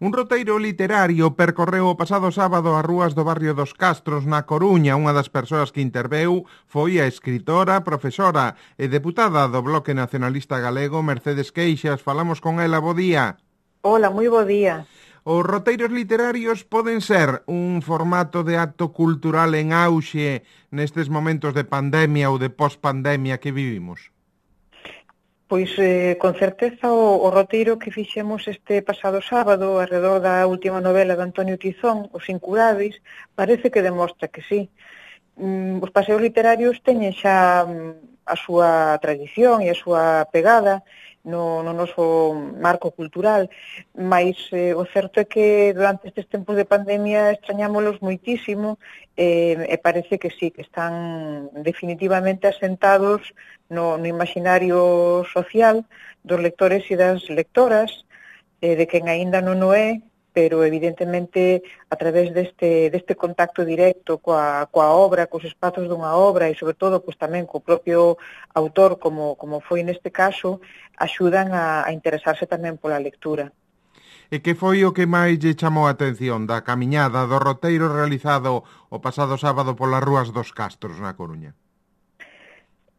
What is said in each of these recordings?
Un roteiro literario percorreu o pasado sábado as rúas do barrio dos Castros, na Coruña. Unha das persoas que interveu foi a escritora, profesora e deputada do Bloque Nacionalista Galego, Mercedes Queixas. Falamos con ela, bo día. Hola, moi bo día. Os roteiros literarios poden ser un formato de acto cultural en auxe nestes momentos de pandemia ou de pospandemia que vivimos? Pois con certeza o roteiro que fixemos este pasado sábado alrededor da última novela de Antonio Tizón, Os Incurábeis, parece que demostra que sí. Os paseos literarios teñen xa a súa tradición e a súa pegada no noso marco cultural, mas o certo é que durante estes tempos de pandemia extrañámolos moitísimo e parece que sí, que están definitivamente asentados no imaginario social dos lectores e das lectoras, de quen aínda non o é, pero evidentemente a través deste contacto directo coa obra, cos espazos dunha obra e sobre todo pois tamén co propio autor, como foi neste caso, axudan a interesarse tamén pola lectura. E que foi o que máis lle chamou a atención da camiñada, do roteiro realizado o pasado sábado polas rúas dos Castros na Coruña?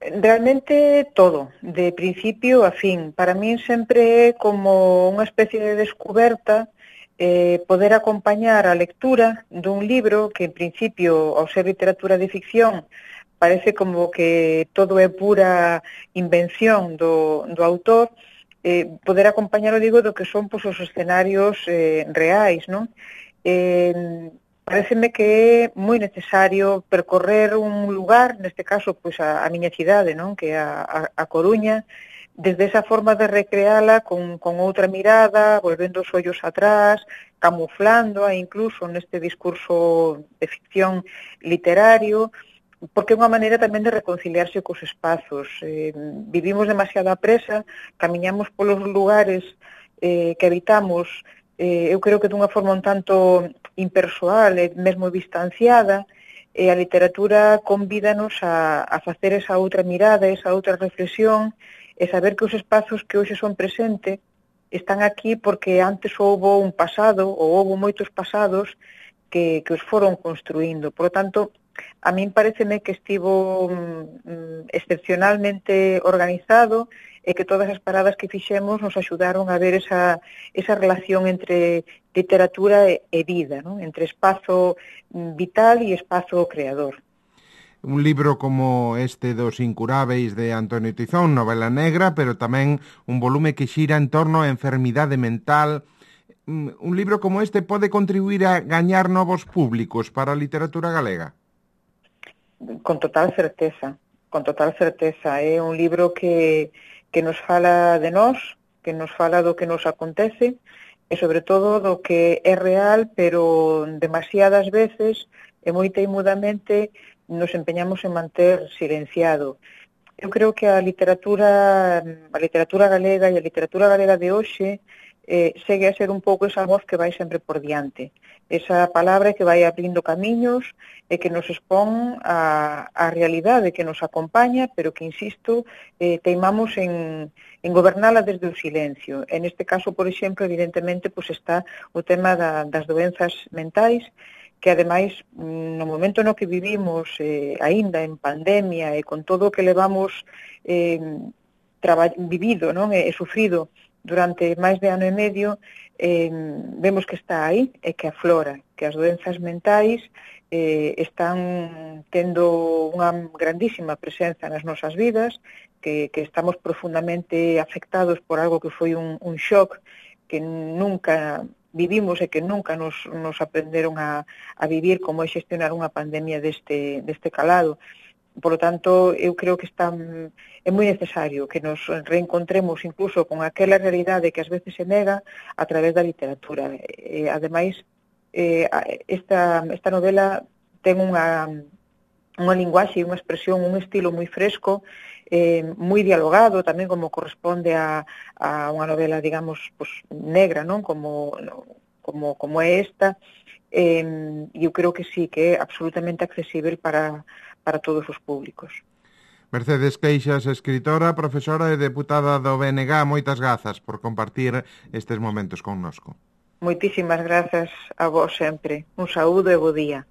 Realmente todo, de principio a fin. Para min sempre é como unha especie de descuberta poder acompañar a lectura dun libro que, en principio, ao ser literatura de ficción, parece como que todo é pura invención do autor, poder acompañar, digo, do que son pois, os escenarios reais, non? Pareceme que é moi necesario percorrer un lugar, neste caso, pois a miña cidade, non? Que é a Coruña, desde esa forma de recreala con outra mirada, volvendo os ollos atrás, camuflándoa incluso neste discurso de ficción literario, porque é unha maneira tamén de reconciliarse cos espazos. Vivimos demasiada presa, camiñamos polos lugares que habitamos, eu creo que dunha forma un tanto impersoal e mesmo distanciada, e a literatura convídanos a facer esa outra mirada, esa outra reflexión, e saber que os espazos que hoxe son presente están aquí porque antes houbo un pasado, ou houbo moitos pasados que os foron construindo. Por lo tanto, a min pareceme que estivo excepcionalmente organizado e que todas as paradas que fixemos nos axudaron a ver esa relación entre literatura e vida, non? Entre espazo vital e espazo creador. Un libro como este dos Incurábeis de Antonio Tizón, novela negra, pero tamén un volume que xira en torno á enfermidade mental. Un libro como este pode contribuir a gañar novos públicos para a literatura galega? Con total certeza, con total certeza. É un libro que nos fala de nós, que nos fala do que nos acontece e sobre todo do que é real, pero demasiadas veces e moi teimudamente nos empeñamos en manter silenciado. Eu creo que a literatura galega e a literatura galega de hoxe segue a ser un pouco esa voz que vai sempre por diante. Esa palabra que vai abrindo camiños e que nos expón a realidade que nos acompaña, pero que, insisto, teimamos en gobernala desde o silencio. En este caso, por exemplo, evidentemente, pues está o tema das doenzas mentais, que ademais, no momento no que vivimos, aínda en pandemia e con todo o que levamos vivido, non? E sufrido durante máis de ano e medio, vemos que está aí e que aflora, que as doenzas mentais están tendo unha grandísima presenza nas nosas vidas, que estamos profundamente afectados por algo que foi un shock que nunca vivimos e que nunca nos aprenderon a vivir, como é xestionar unha pandemia deste calado. Por lo tanto, eu creo que é moi necesario que nos reencontremos incluso con aquela realidade que ás veces se nega a través da literatura. Ademais, esta novela ten unha linguaxe e unha expresión, un estilo moi fresco, moi dialogado, tamén como corresponde a unha novela, digamos, pues, negra, non? Como é esta, e eu creo que sí, que é absolutamente accesible para todos os públicos. Mercedes Queixas, escritora, profesora e deputada do BNG, moitas grazas por compartir estes momentos connosco. Moitísimas grazas a vos sempre. Un saúdo e bo día.